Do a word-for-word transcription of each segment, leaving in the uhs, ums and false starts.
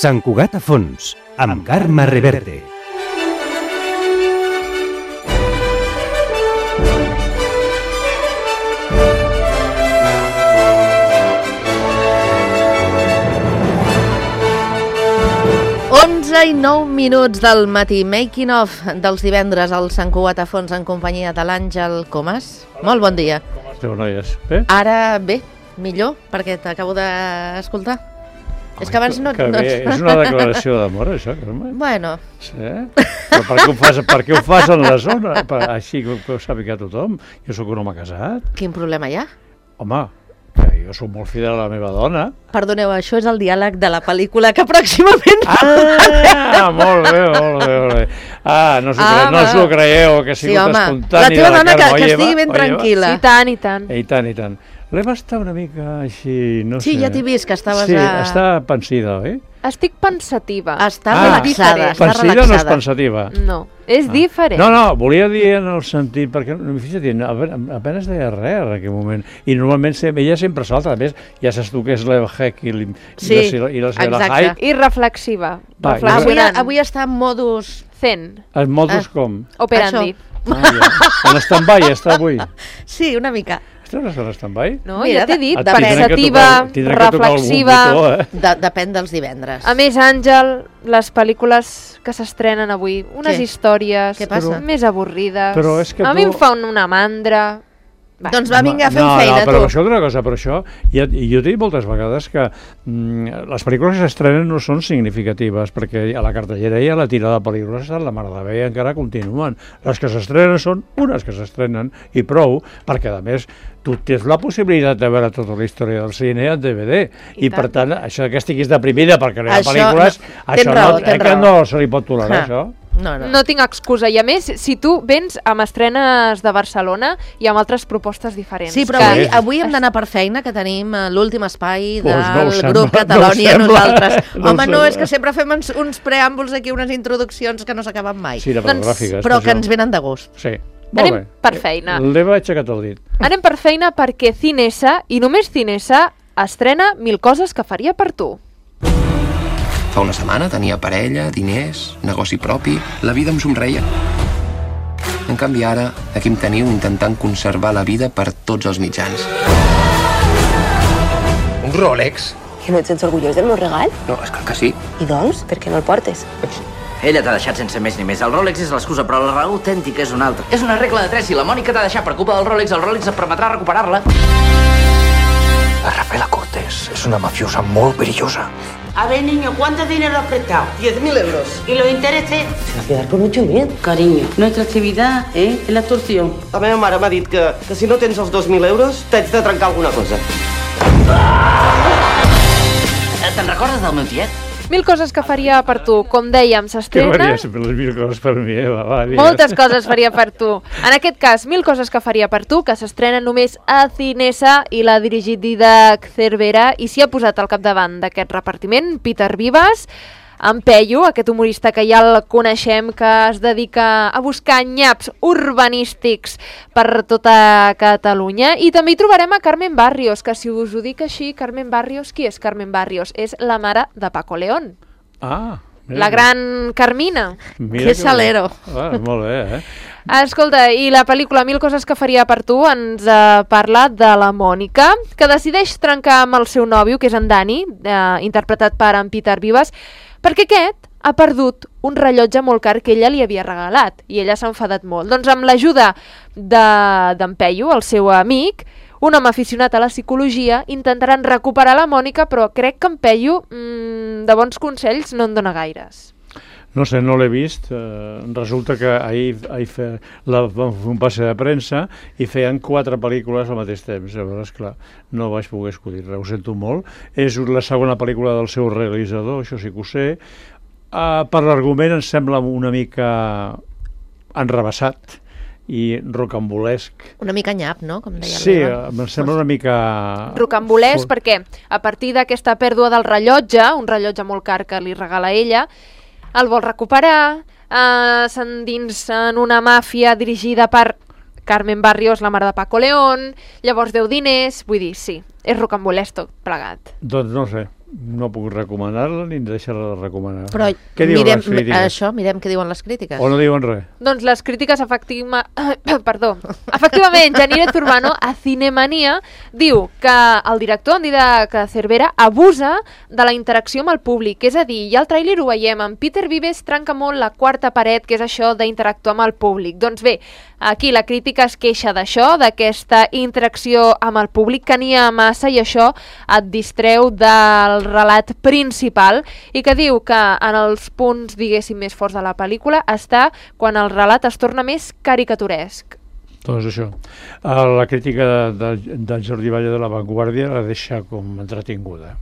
Sant Cugat a fons, amb Carme Reverte. onze i nou minuts del matí, making of dels divendres al Sant Cugat a fons en companyia de l'Àngel Comas. Molt bon dia. Com esteu, noies? Bé? Ara bé, millor, perquè t'acabo d'escoltar. És que abans no... Que no... bé, és una declaració d'amor, això, Carme? Bueno. Sí? Però per què ho fas, per què ho fas en la zona? Per, així que ho sàpiga tothom. Jo sóc un home casat. Quin problema hi ha? Home, que jo sóc molt fidel a la meva dona. Perdoneu, això és el diàleg de la pel·lícula que pròximament... Ah, molt bé, molt bé, molt bé. Ah, no s'ho Ah, cre... no s'ho creieu, que ha Sí, sigut home, espontani la teva de la dona que, Carme. que Oye, estigui va, ben oye, va. tranquil·la. I tant, i tant. I tant, i tant. L'Eva està una mica així, no Sí, sé. ja t'he vist que estaves Sí, a... està pensida, oi? Estic pensativa. Està Ah, relaxada, està Pensida relaxada. no és pensativa. No, és Ah. diferent. No, no, volia dir en el sentit, perquè, fixa't, apenas deia res en aquell moment, i normalment ella sempre salta, a més, ja saps tu que és l'Eva Heck i, i, Sí, la, i la Sheila exacte. Hyde, I reflexiva. Va, Avui, reflexionant. avui està en modus... Zen. els modos Ah. com? Operandi. Ah, ja. En stand-by està avui. Sí, una mica. Estàs en stand-by? No, Mira, ja t'he dit, Et tindrem que pensativa, tocar- tindrem que tocar algun reflexiva... botó, eh? De, depèn dels divendres. A més, Àngel, les pel·lícules que s'estrenen avui, unes Què? històries Què passa? més avorrides. Però és que A mi tu- em fa un- una mandra... Va. Doncs va, vinga, fem no, feina, no, però tu. això és una cosa, però això, ja, i jo t'he dit moltes vegades que mm, les pel·lícules que s'estrenen no són significatives, perquè a la cartellera hi ha la tirada de pel·lícules de la Mare de Déu i encara continuen. Les que s'estrenen són unes que s'estrenen i prou, perquè a més tu tens la possibilitat de veure tota la història del cine en D V D, i, I per tant. tant, això que estiguis deprimida perquè no hi ha Això pel·lícules, no- això tens raó, no, eh, tens que raó. no se li pot tolerar, Ah. això. No, no. No tinc excusa. I a més, si tu vens amb estrenes de Barcelona i amb altres propostes diferents. Sí, però que- avui, avui hem d'anar per feina, que tenim eh, l'últim espai del Pues no ho sembla, grup no ho Catalònia, sembla, nosaltres. no ho Home, no, és sembla. que sempre fem uns, uns preàmbuls aquí, unes introduccions que no s'acaben mai. Sí, cinematogràfiques. Però per que això. ens venen de gust. Sí. Molt Anem bé. per feina. L'Eva ha aixecat el dit. Anem per feina perquè Cinesa, i només Cinesa, estrena Mil coses que faria per tu. Fa una setmana tenia parella, diners, negoci propi, la vida em somreia. En canvi ara, aquí em teniu intentant conservar la vida per tots els mitjans. Un Rolex? Que no et sents orgullós del meu regal? No, és clar que sí. I doncs, per què no el portes? Ella t'ha deixat sense més ni més. El Rolex és l'excusa, però la raó autèntica és una altra. És una regla de tres. Si la Mònica t'ha deixat per culpa del Rolex, el Rolex et permetrà recuperar-la. La Rafaela Cortés es una mafiosa muy perillosa. A ver, niño, ¿cuánto dinero has prestado? diez mil euros. ¿Y los intereses? Se va a quedar con ocho mil. Cariño, nuestra actividad ¿eh? es la extorsión. La meva mare m'ha dit que, que si no tens els dos mil euros t'haig de trencar alguna cosa. Te'n recordes del meu tiet? Mil coses que faria per tu. Com dèiem, Que s'estrena... faria sempre les mil coses per mi, Eva. Va, digues. Moltes coses faria per tu. En aquest cas, Mil coses que faria per tu, que s'estrena només a Cinesa i l'ha dirigit Didac Cervera i s'hi ha posat al capdavant d'aquest repartiment Peter Vives, en Peyu, aquest humorista que ja el coneixem, que es dedica a buscar nyaps urbanístics per tota Catalunya. I també hi trobarem a Carmen Barrios, que si us ho dic així, Carmen Barrios, qui és Carmen Barrios? És la mare de Paco León. Ah, mira La que- gran Carmina. mira Que que salero. bé. Ah, molt bé, eh? Escolta, i la pel·lícula Mil coses que faria per tu ens eh, parla de la Mònica, que decideix trencar amb el seu nòvio, que és en Dani, eh, interpretat per en Peter Vives, perquè aquest ha perdut un rellotge molt car que ella li havia regalat, i ella s'ha enfadat molt. Doncs amb l'ajuda de- d'en Peyu, el seu amic, un home aficionat a la psicologia, intentaran recuperar la Mònica, però crec que en Peyu mmm, de bons consells no en dona gaires. No sé, no l'he vist. Eh, resulta que ahir, ahir fe, la, vam fer un passe de premsa i feien quatre pel·lícules al mateix temps. Llavors, clar, no vaig poder escollir res, ho sento molt. És la segona pel·lícula del seu realitzador, això sí que ho sé. Uh, per l'argument em sembla una mica enrebaçat i rocambolesc. Una mica nyap, no? Com deia Sí, l'Eva. em sembla una mica... Rocambolès, For- perquè a partir d'aquesta pèrdua del rellotge, un rellotge molt car que li regala ella, el vol recuperar, eh, s'endinsa en una màfia dirigida per Carmen Barrios, la mare de Paco León, llavors deu diners, vull dir, sí, és rocambolès tot plegat. Doncs no sé, no puc recomanar-la ni deixar-la de recomanar. Però què diuen mirem, les crítiques? això, mirem què diuen les crítiques. O no diuen res? Doncs les crítiques efectiva... Perdó. Efectivament, Janire Zurbano a Cinemania diu que el director, en Didac Cervera, abusa de la interacció amb el públic. És a dir, i al tràiler ho veiem, en Peter Vives trenca molt la quarta paret, que és això d'interactuar amb el públic. Doncs bé, aquí la crítica es queixa d'això, d'aquesta interacció amb el públic, que n'hi ha massa i això et distreu del relat principal, i que diu que en els punts, diguéssim, més forts de la pel·lícula està quan el relat es torna més caricaturesc. Doncs això. La crítica de, de, del Jordi Valle de La Vanguardia la deixa com entretinguda.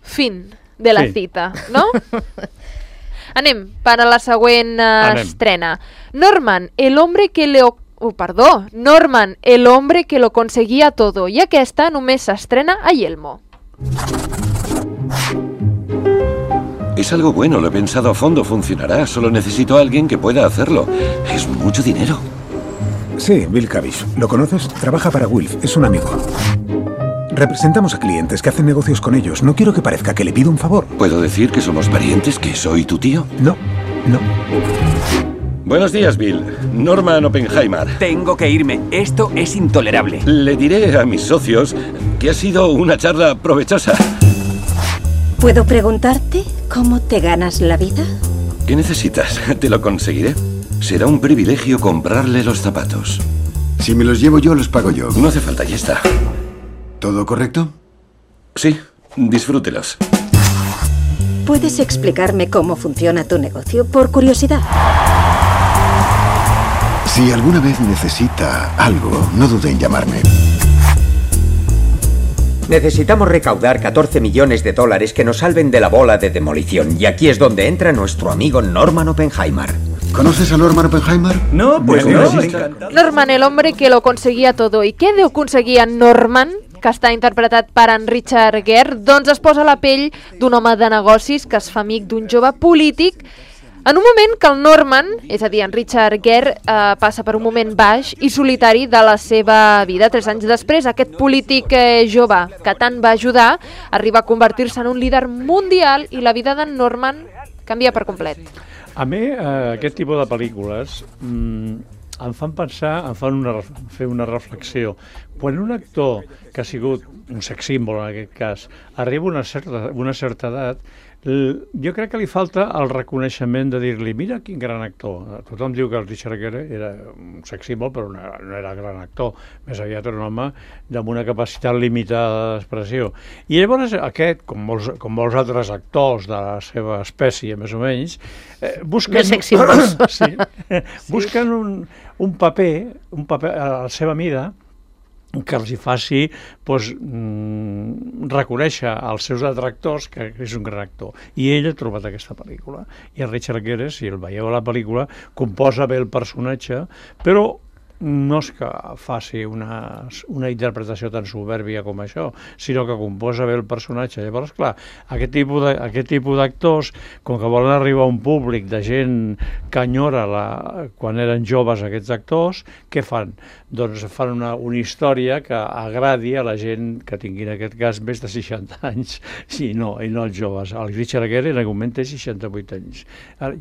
Fin de la sí. cita, no? Anem per a la següent uh, Anem. estrena. Norman, el hombre que le... Oh, perdó, Norman, el hombre que lo conseguía todo. I aquesta només s'estrena a Yelmo. Es algo bueno, lo he pensado a fondo, funcionará. Solo necesito a alguien que pueda hacerlo. Es mucho dinero. Sí, Bill Cavish. ¿Lo conoces? Trabaja para Wilf, es un amigo. Representamos a clientes que hacen negocios con ellos. No quiero que parezca que le pido un favor. ¿Puedo decir que somos parientes, que soy tu tío? No, no. Buenos días, Bill. Norman Oppenheimer. Tengo que irme. Esto es intolerable. Le diré a mis socios que ha sido una charla provechosa. ¿Puedo preguntarte cómo te ganas la vida? ¿Qué necesitas? Te lo conseguiré. Será un privilegio comprarle los zapatos. Si me los llevo yo, los pago yo. No hace falta, ya está. ¿Todo correcto? Sí, disfrútelos. ¿Puedes explicarme cómo funciona tu negocio, por curiosidad? Si alguna vez necesita algo, no dude en llamarme. Necesitamos recaudar catorce millones de dólares que nos salven de la bola de demolición. Y aquí es donde entra nuestro amigo Norman Oppenheimer. ¿Conoces a Norman Oppenheimer? No, pues no. Norman, el hombre que lo conseguía todo. I què deu aconseguir en Norman, que està interpretat per en Richard Gere? Doncs es posa a la pell d'un home de negocis que es fa amic d'un jove polític en un moment que el Norman, és a dir, en Richard Gere, eh, passa per un moment baix i solitari de la seva vida. Tres anys després, aquest polític eh, jove que tant va ajudar arriba a convertir-se en un líder mundial i la vida d'en Norman canvia per complet. A mi, eh, aquest tipus de pel·lícules mmm, em fan pensar, em fan una, fer una reflexió. Quan un actor que ha sigut un sex símbol, en aquest cas, arriba a una certa, una certa edat, jo crec que li falta el reconeixement de dir-li, mira quin gran actor. Tothom diu que el Richard Gere era un sex símbol, però no, no era gran actor. Més aviat era un home amb una capacitat limitada d'expressió. I llavors aquest, com molts, com molts altres actors de la seva espècie, més o menys, eh, busquen, sex símbols. sí, busquen un, un paper, un paper a la seva mida, que els hi faci doncs, mm, reconèixer als seus detractors que és un gran actor. I ell ha trobat aquesta pel·lícula. I el Richard Gere, si el veieu a la pel·lícula, composa bé el personatge, però no és que faci una, una interpretació tan soberbia com això, sinó que composa bé el personatge. Llavors, clar, aquest tipus de, aquest tipus d'actors, com que volen arribar a un públic de gent que enyora la, quan eren joves aquests actors, què fan? Doncs fan una, una història que agradi a la gent que tingui en aquest cas més de seixanta anys, i no, i no els joves. El Richard Gere en aquest moment té seixanta-vuit anys.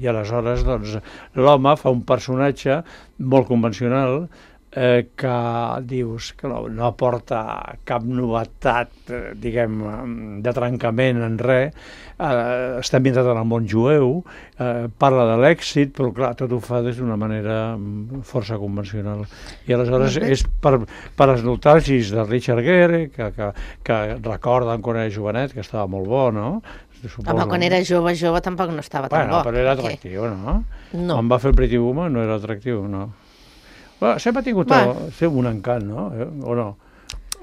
I aleshores, doncs, l'home fa un personatge molt convencional, eh, que dius que no, no aporta cap novetat, eh, diguem, de trencament en res, eh, està ambientat en el món jueu, eh, parla de l'èxit, però clar, tot ho fa des d'una manera força convencional. I aleshores és per, per els nostàlgics de Richard Gere, que, que, que recorden quan era jovenet, que estava molt bo, no? Suposo. Home, quan era jove, jove tampoc no estava tan bueno, bo. Però era atractiu, okay. no? No. Quan va fer el Pretty Woman no era atractiu, no. Bueno, sempre ha tingut el, un encant, no? Eh? O no?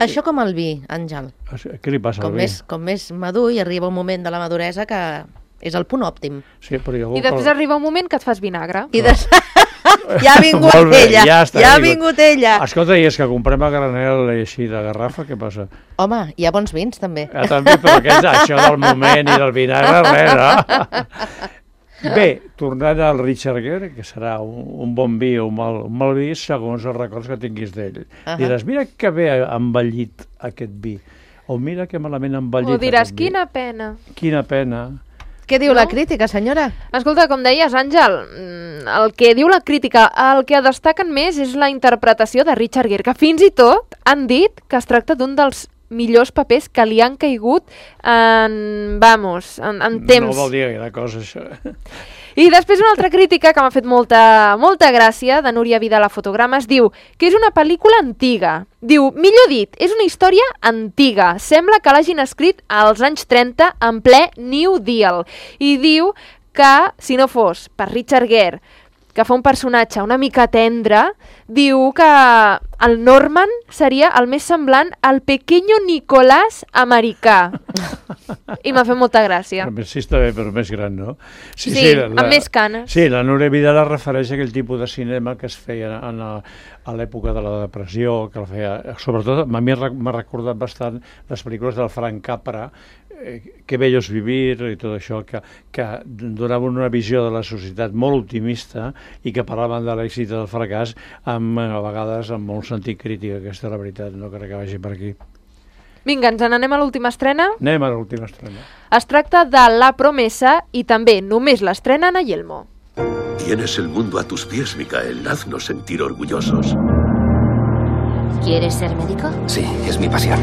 Això com el vi, Àngel. Què li passa com al vi? Més, com més madur i arriba un moment de la maduresa que és el punt òptim. Sí, però jo... I després el... arriba un moment que et fas vinagre. I des... ja ha vingut bé, ella, ja, està, ja ha vingut ella. Escolta, i és que comprem a granel així de garrafa, què passa? Home, hi ha bons vins, també. Ja, també, però què és això del moment i del vinagre, res, no? Bé, tornant al Richard Gere, que serà un, un bon vi o un mal, un mal vi segons els records que tinguis d'ell. Uh -huh. Diràs, mira que bé ha envellit aquest vi. o mira que malament envellit. O diràs, quina pena. Quina pena. Què diu no? la crítica, senyora? Escolta, com deies, Àngel, el que diu la crítica, el que destaquen més és la interpretació de Richard Gere, que fins i tot han dit que es tracta d'un dels millors papers que li han caigut en, vamos, en, en temps. No vol dir gaire cosa, això. I després una altra crítica que m'ha fet molta, molta gràcia, de Núria Vidal a Fotogrames, diu que és una pel·lícula antiga. Diu, millor dit, és una història antiga. Sembla que l'hagin escrit als anys trenta en ple New Deal. I diu que, si no fos per Richard Gere, que fa un personatge una mica tendre, diu que el Norman seria el més semblant al pequeño Nicolás americà. I m'ha fet molta gràcia. Sí, està bé, però més gran, no? Sí, sí la, amb més canes. Sí, la Núria Vidal es refereix a aquell tipus de cinema que es feia en la, a l'època de la depressió, que el feia, sobretot, a mi m'ha recordat bastant les pel·lícules del Frank Capra, eh, Que bellos vivir i tot això, que, que donaven una visió de la societat molt optimista i que parlaven de l'èxit i del fracàs amb, a vegades amb molt sentit crític. Aquesta és la veritat, no crec que vagi per aquí. Vinga, ens n'anem a l'última estrena? Anem a l'última estrena. Es tracta de La Promesa i també només l'estrenen a Yelmo. Tienes el mundo a tus pies, Micael. Haznos sentir orgullosos. ¿Quieres ser médico? Sí, es mi pasión.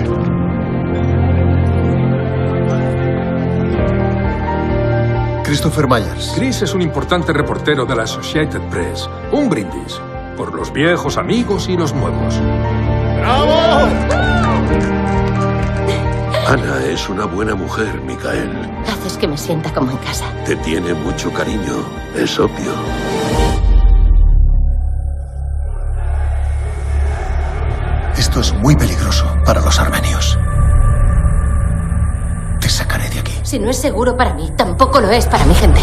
Christopher Myers. Chris es un importante reportero de la Associated Press. Un brindis por los viejos amigos y los nuevos. ¡Bravo! Ana es una buena mujer, Micael. Haces que me sienta como en casa. Te tiene mucho cariño, es obvio. Esto es muy peligroso para los armenios. Te sacaré de aquí. Si no es seguro para mí, tampoco lo es para mi gente.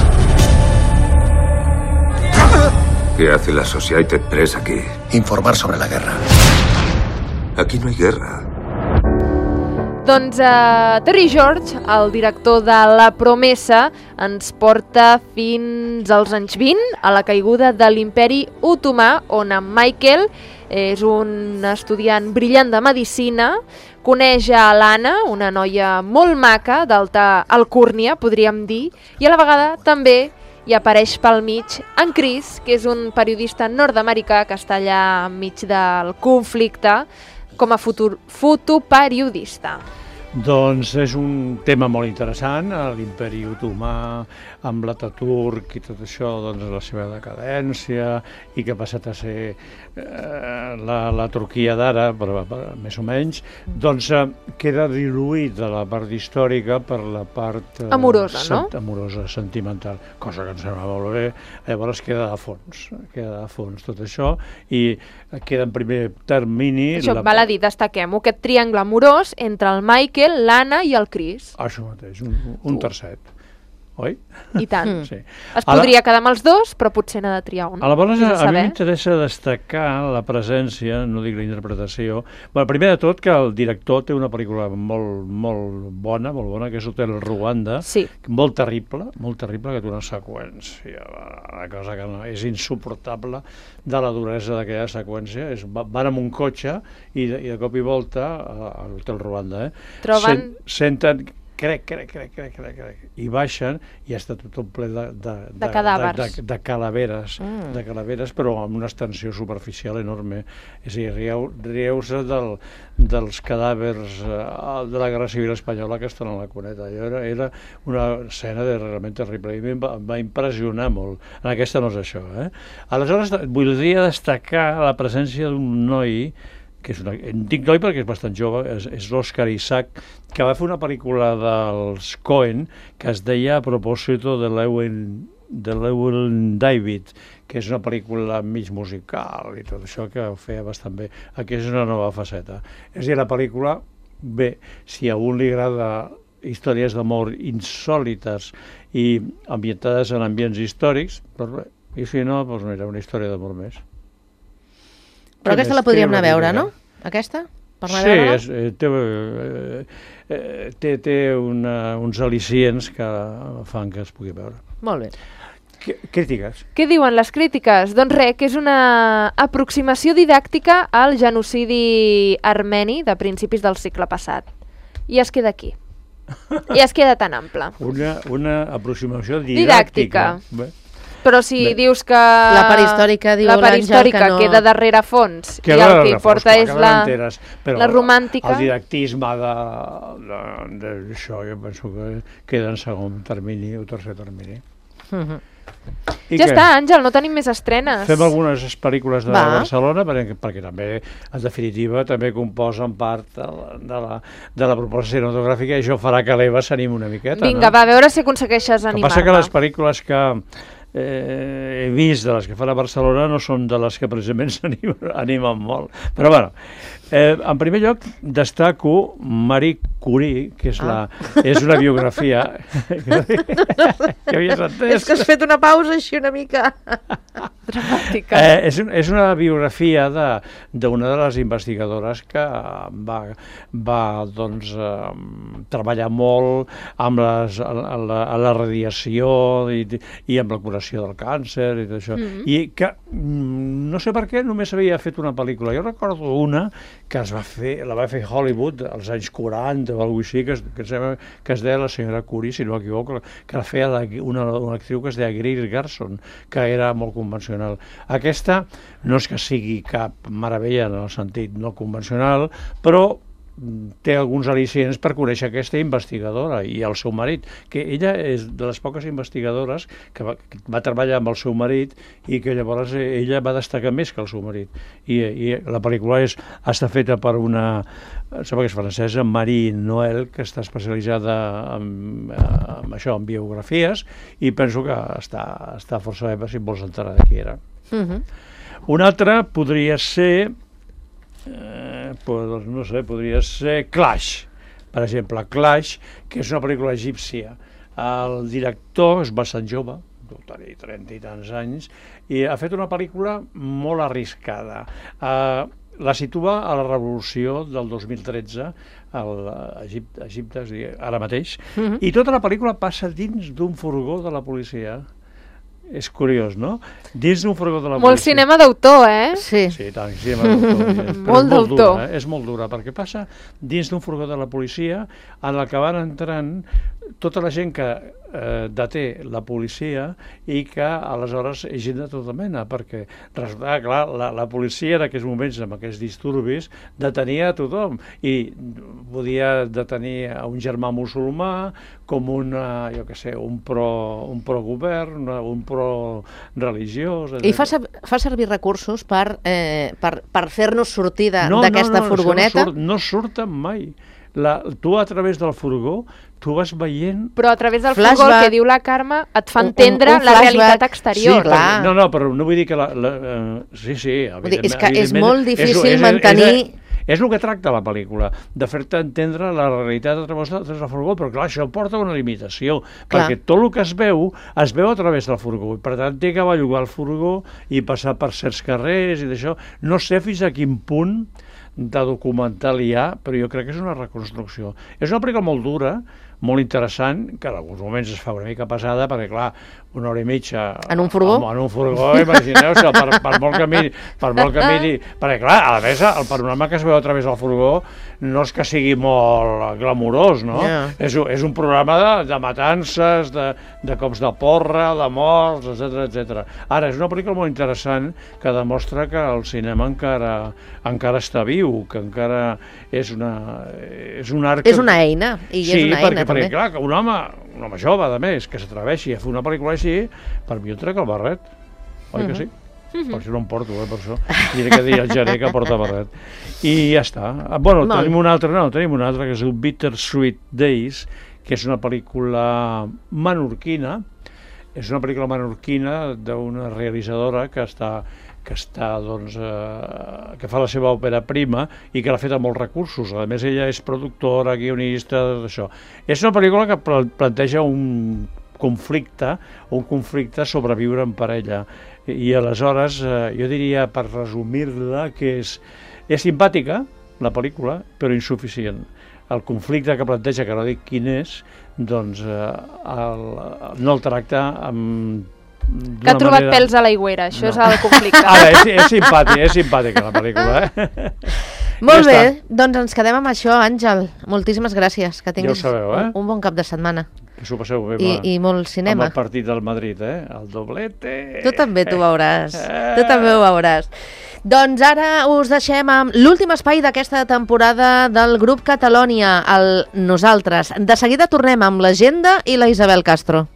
¿Qué hace la Associated Press aquí? Informar sobre la guerra. Aquí no hay guerra. Doncs uh, Terry George, el director de La Promesa, ens porta fins als anys vint, a la caiguda de l'imperi otomà, on en Michael és un estudiant brillant de medicina, coneix a l'Anna, una noia molt maca, d'alta alcúrnia, podríem dir, i a la vegada també hi apareix pel mig en Chris, que és un periodista nord-americà que està allà enmig del conflicte com a futur, fotoperiodista. Doncs és un tema molt interessant, l'imperi otomà, amb l'Ataturk i tot això, doncs la seva decadència i que ha passat a ser eh, la, la Turquia d'ara, però, però, més o menys, doncs eh, queda diluït de la part històrica per la part eh, amorosa, no? Sent, amorosa, sentimental, cosa que em sembla molt bé. Llavors queda a fons, queda a fons tot això i queda en primer termini... Això, la... val a dir, destaquem-ho, aquest triangle amorós entre el Michael, l'Anna i el Chris. Això mateix, un, un tercet. Oi? I tant. Sí. Es podria la... quedar amb els dos, però potser n'ha de triar un. Aleshores, a, a mi m'interessa destacar la presència, no dic la interpretació... Bueno, primer de tot, que el director té una pel·lícula molt, molt bona, molt bona, que és Hotel Ruanda, sí. Molt terrible, molt terrible, que té una seqüència, una cosa que no, és insuportable de la duresa d'aquella seqüència. És, van amb un cotxe i de, i de cop i volta, a l'Hotel Ruanda, eh, troben... Sent, senten... crec, crec, crec, crec, crec, crec, i baixen i està tot ple de, de, de, de cadàvers, de, de, de calaveres, mm. de calaveres, però amb una extensió superficial enorme. És a dir, rieu, rieu-se del, dels cadàvers eh, de la Guerra Civil Espanyola que estan a la cuneta. Era, era una escena de, realment terrible i em va, em va impressionar molt. En aquesta no és això. Eh? Aleshores, voldria destacar la presència d'un noi que és una, en dic noi perquè és bastant jove, és, és l'Òscar Isaac, que va fer una pel·lícula dels Coen que es deia A propòsito de l'Ewen de l'Ewen David, que és una pel·lícula mig musical i tot això que ho feia bastant bé. Aquí és una nova faceta. És a dir, la pel·lícula, bé, si a un li agrada històries d'amor insòlites i ambientades en ambients històrics, doncs bé, i si no, doncs mira, una història d'amor més. Però aquesta la podríem anar a veure, no? Aquesta? Per anar sí, a veure-la? és, eh, té, eh, té, té una, uns al·licients que fan que es pugui veure. Molt bé. C crítiques. Què diuen les crítiques? Doncs res, que és una aproximació didàctica al genocidi armeni de principis del segle passat. i es queda aquí. I es queda tan ample. Una, una aproximació didàctica. Didàctica. Però si Bé. dius que La perihistòrica, diu la l'Àngel, perihistòrica que no... queda darrere fons Que i el darrere que fons, importa clar, és que la, l'enteres, però la romàntica... El didactisme de, de, de, això jo penso que queda en segon termini o tercer termini. Mhm. I Ja què? està, Àngel, no tenim més estrenes. Fem algunes pel·lícules de Va. Barcelona perquè, perquè també, en definitiva, també composen part de la, de la, de la proposta cinematogràfica i això farà que l'Eva s'animi una miqueta. Vinga, no? va, a veure si aconsegueixes El que passa que animar-me. les pel·lícules que eh, he vist de les que fan a Barcelona no són de les que precisament s'animen animen molt. Però bueno, eh, en primer lloc destaco Marie Curie, que és, la, Ah. és una biografia que havies entès. És que has fet una pausa així una mica dramàtica. Eh, és, un, és una biografia de- d'una de, de les investigadores que va, va doncs, eh, treballar molt amb les, a, a la, a la radiació i, i amb la curació del càncer i tot això. Mhm. I que mm, no sé per què només havia fet una pel·lícula. Jo recordo una que es va fer, la va fer Hollywood als anys quaranta o alguna cosa així, que es, que, es, deia- que es deia La senyora Curie, si no m'equivoco, que la feia la, una, una actriu que es deia Greer Garson, que era molt convencional. Aquesta no és que sigui cap meravella en el sentit no convencional, però té alguns al·licients per conèixer aquesta investigadora i el seu marit, que ella és de les poques investigadores que va, que va treballar amb el seu marit i que llavors ella va destacar més que el seu marit. I, i la pel·lícula és, està feta per una, sembla que és francesa, Marie Noël, que està especialitzada en, en això, en biografies, i penso que està, està força bé per si et vols enterar de qui era. Mhm. Una altra podria ser Eh, pues, no sé, podria ser Clash, per exemple, Clash, que és una pel·lícula egípcia. El director és bastant jove, deu tenir trenta i tants anys, i ha fet una pel·lícula molt arriscada. Eh, la situa a la revolució del dos mil tretze a Egipte, Egipte és a dir, ara mateix, Mhm. i tota la pel·lícula passa dins d'un furgó de la policia. És curiós, no? Dins d'un furgó de la Molt policia. cinema d'autor, eh? Sí. Sí, tant, cinema d'autor. Però és Molt d'autor. dura, eh? És molt dura, perquè passa dins d'un furgó de la policia en el que van entrant tota la gent que eh, deté la policia i que aleshores és gent de tota mena, perquè resulta, clar, la, la policia en aquests moments, amb aquests disturbis, detenia a tothom i podia detenir a un germà musulmà com una, jo què sé, un pro, un pro-govern, un pro-religiós... I fa, ser- fa servir recursos per, eh, per, per fer-nos sortir de- No, d'aquesta no, no, furgoneta. això No, surt, no surten mai. La, tu a través del furgó, tu vas veient... Però a través del Flashback. furgó, el que diu la Carme, et fa Un- un- entendre un la flashback. realitat exterior. Sí, perquè, no, no, però no vull dir que... La, la, uh, sí, sí, Vull dir, és que és evidentment, molt difícil és, és, mantenir... És, és el que tracta la pel·lícula, de fer-te entendre la realitat a través del furgó, però clar, això porta una limitació, Clar. perquè tot el que es veu, es veu a través del furgó, i per tant té que bellugar el furgó i passar per certs carrers i d'això. No sé fins a quin punt de documental hi ha, però jo crec que és una reconstrucció. És una pel·lícula molt dura, molt interessant, que en alguns moments es fa una mica pesada, perquè clar, una hora i mitja... En un furgó? En, en un furgó, imagineu-se, per, per molt que miri, per molt que miri, perquè clar, a més, el panorama que es veu a través del furgó no és que sigui molt glamurós, no? Ja. És, un- és un programa de, de matances, de, de cops de porra, de morts, etcètera, etcètera. Ara, és una pel·lícula molt interessant que demostra que el cinema encara, encara està viu, que encara és una, és un art... És una eina, i sí, és una perquè, eina, perquè, també. clar, que un home, un home jove, a més, que s'atreveixi a fer una pel·lícula així, per mi jo trec el barret. Oi que sí? Mhm. Per això no em porto, eh, per això. Diré que dir el gener que porta barret. I ja està. Ah, Bueno, Molt. tenim una altra, no, tenim una altra que es diu Bittersweet Days, que és una pel·lícula menorquina. És una pel·lícula menorquina d'una realitzadora que està que està, doncs, eh, que fa la seva òpera prima i que l'ha fet amb molts recursos. A més, ella és productora, guionista, d'això. És una pel·lícula que pla- planteja un conflicte, un conflicte sobre viure en parella. I, i aleshores, eh, jo diria, per resumir-la, que és, és simpàtica, la pel·lícula, però insuficient. El conflicte que planteja, que no dic quin és, doncs eh, el, no el tracta amb Que ha trobat pèls a l'aigüera, això és el conflicte. Ara, és, és simpàtic, és simpàtica la pel·lícula, eh? Molt Ja bé, està. doncs ens quedem amb això, Àngel. Moltíssimes gràcies. Que tinguis Ja ho sabeu, eh? un, un bon cap de setmana. Que s'ho passeu bé. I, va. i molt cinema. Amb el partit del Madrid, eh? El doblete. Tu també t'ho veuràs. Tu també ho veuràs. Doncs ara us deixem amb l'últim espai d'aquesta temporada del grup Catalònia, el Nosaltres. De seguida tornem amb l'Agenda i la Isabel Castro.